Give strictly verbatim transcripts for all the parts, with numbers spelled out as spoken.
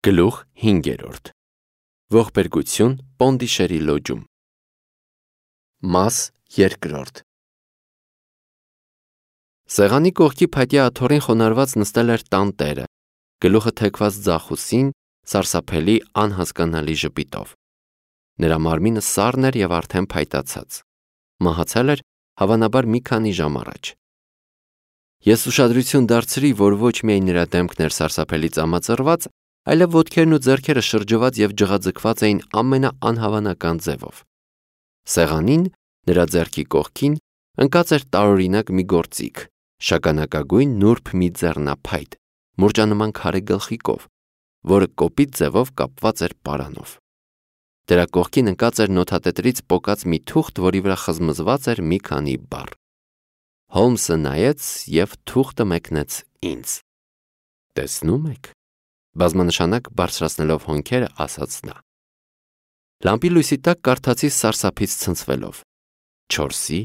Գլուխ հինգերորդ Ողբերգություն Պոնդիշերի լոջում Մաս երկրորդ Սեղանի կողքի փայտյա աթոռին խոնարհված նստել էր տանտերը, գլուխը թեքված ձախուսին, սարսափելի անհասկանալի ժպիտով։ Նրա մարմինը սառն էր և արդեն փայտացած։ Մահացել էր հավանաբար մի քանի ժամ առաջ։ Ես ուշադրություն դարձրի, որ ոչ միայն նրա դեմքն էր սարսափելի ծամածռված, այլև ոտքերն ու ձեռքերը շրջված և ջղաձգված էին ամենաանհավանական ձևով։ Սեղանին, նրա ձեռքի կողքին, ընկած էր տարօրինակ մի գործիք, շագանակագույն նուրբ մի ձեռնափայտ, մուրճանման քարե գլխիկով, որը կոպիտ ձևով կապված էր պարանով։ Դրա կողքին ընկած էր նոթատետրից պոկած մի թուղթ, որի վրա խզմզված էր մի քանի բառ։ Հոլմսը նայեց և թուղթը մեկնեց ինձ։ «Տեսնո՞ւմ եք», բազմանշանակ բարձրացնելով հոնքերը, ասաց նա։ Լամպի լույսի տակ կարդացի սարսափից ցնցվելով. չորսի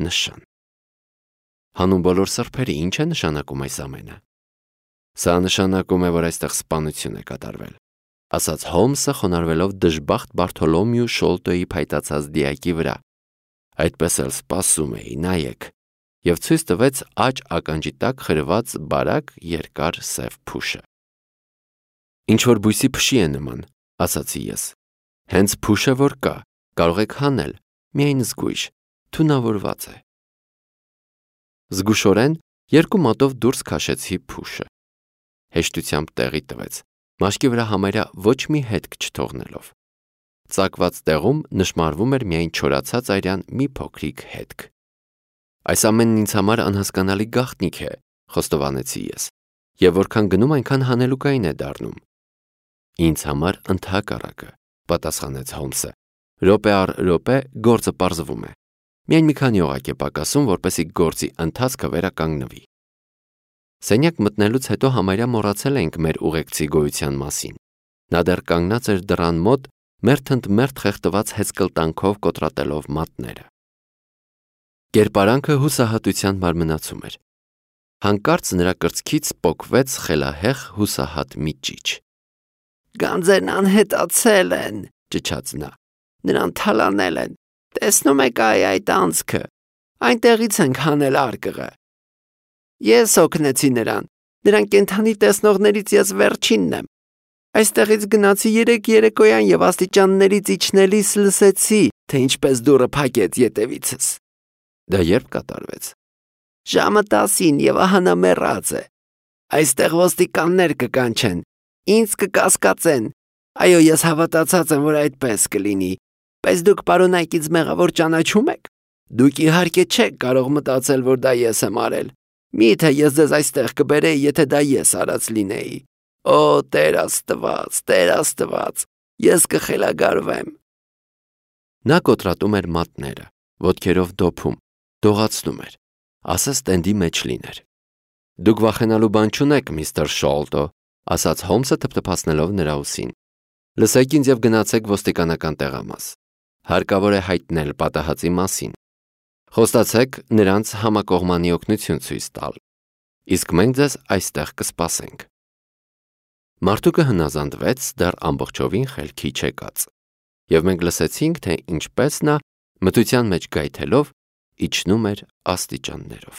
նշան։ Հանուն բոլոր սրբերի ի՞նչ է նշանակում այս ամենը։ Սա նշանակում է, որ այստեղ սպանություն է կատարվել, ասաց Հոլմսը, խոնարհվելով դժբախտ Բարթոլոմեու Շոլտոյի փայտացած դիակի վրա։ Այդպես էլ սպասում էի, նայեք, և ցույց տվեց աջ ականջի տակ խրված բարակ երկար սև փուշը։ Ինչ-որ բույսի փշի է նման, ասացի ես։ Հենց փուշը որ կա, կարող եք հանել, միայն զգույշ, թունավորված է։ Զգուշորեն երկու մատով դուրս քաշեցի փուշը։ Հեշտությամբ տեղի տվեց, մաշկի վրա համարյա ոչ մի հետք չթողնելով։ Ծակված տեղում նշմարվում էր միայն չորացած արյան մի փոքրիկ հետք։ Այս ամենն ինձ համար անհասկանալի գաղտնիք է, խոստովանեցի ես, և որքան գնում, այնքան հանելուկային է դառնում։ Ինձ համար ընդհակառակը, պատասխանեց Հոլմսը։ Րոպե առ րոպե գործը պարզվում է։ Միայն մի քանի օղակ է պակասում, որպեսզի գործի ընթացքը վերականգնվի։ Սենյակ մտնելուց հետո համարյա մոռացել էինք մեր ուղեկցի գոյության մասին։ Նա դեռ կանգնած էր դռան մոտ, մերթընդմերթ խեղդված հեծկլտանքով կոտրատելով մատները։ Կերպարանքը հուսահատության մարմնացում էր։ Հանկարծ նրա կրծքից պոկվեց խելահեղ հուսահատ մի ճիչ։ «Գանձերն անհետացել են», ճչաց նա։ «Նրան թալանել են։ Տեսնում եք այ այդ անցքը։ Այնտեղից ենք հանել արկղը։ Ես օգնեցի նրան։ Նրան կենդանի տեսնողներից ես վերջինն եմ։ Այստեղից գնացի երեկ երեկոյան և աստիճաններից իջնելիս լսեցի, թե ինչպես դուռը փակեց ետևիցս»։ Դա երբ կատարվեց։ «Ժամը տասին և ահա նա մեռած է։ Այստեղ ոստիկաններ կկանչեն, ինձ կկասկածեն։ Այո, ես հավատացած եմ, որ այդպես կլինի։ Բայց դուք պարոն Այկից մեղավոր ճանաչում եք։ Դուք իհարկե չեք կարող մտածել, որ դա ես եմ արել։ Մի՞թե ես ձեզ այստեղ կբերեի, եթե դա ես արած լինեի։ Օ, Տեր Աստված, Տեր Աստված, ես կխելագարվեմ»։ Նա կոտրատում էր մատները, ոտքերով դոփում, դողացնում էր, ասես տենդի մեջ լիներ։ «Դուք վախենալու բան չունեք, միստր Շոլտո», ասաց Հոլմսը թփթփացնելով նրա ուսին։ «Լսեք ինձ և գնացեք ոստիկանական տեղամաս։ Հարկավոր է հայտնել պատահածի մասին։ Խոստացեք նրանց համակողմանի օգնություն ցույց տալ։ Իսկ մենք ձեզ այստեղ կսպասենք»։ Մարդուկը հնազանդվեց, դեռ ամբողջովին խելքի չեկած, և մենք լսեցինք, թե ինչպես նա, մթության մեջ գայթելով, իջնում էր աստիճաններով։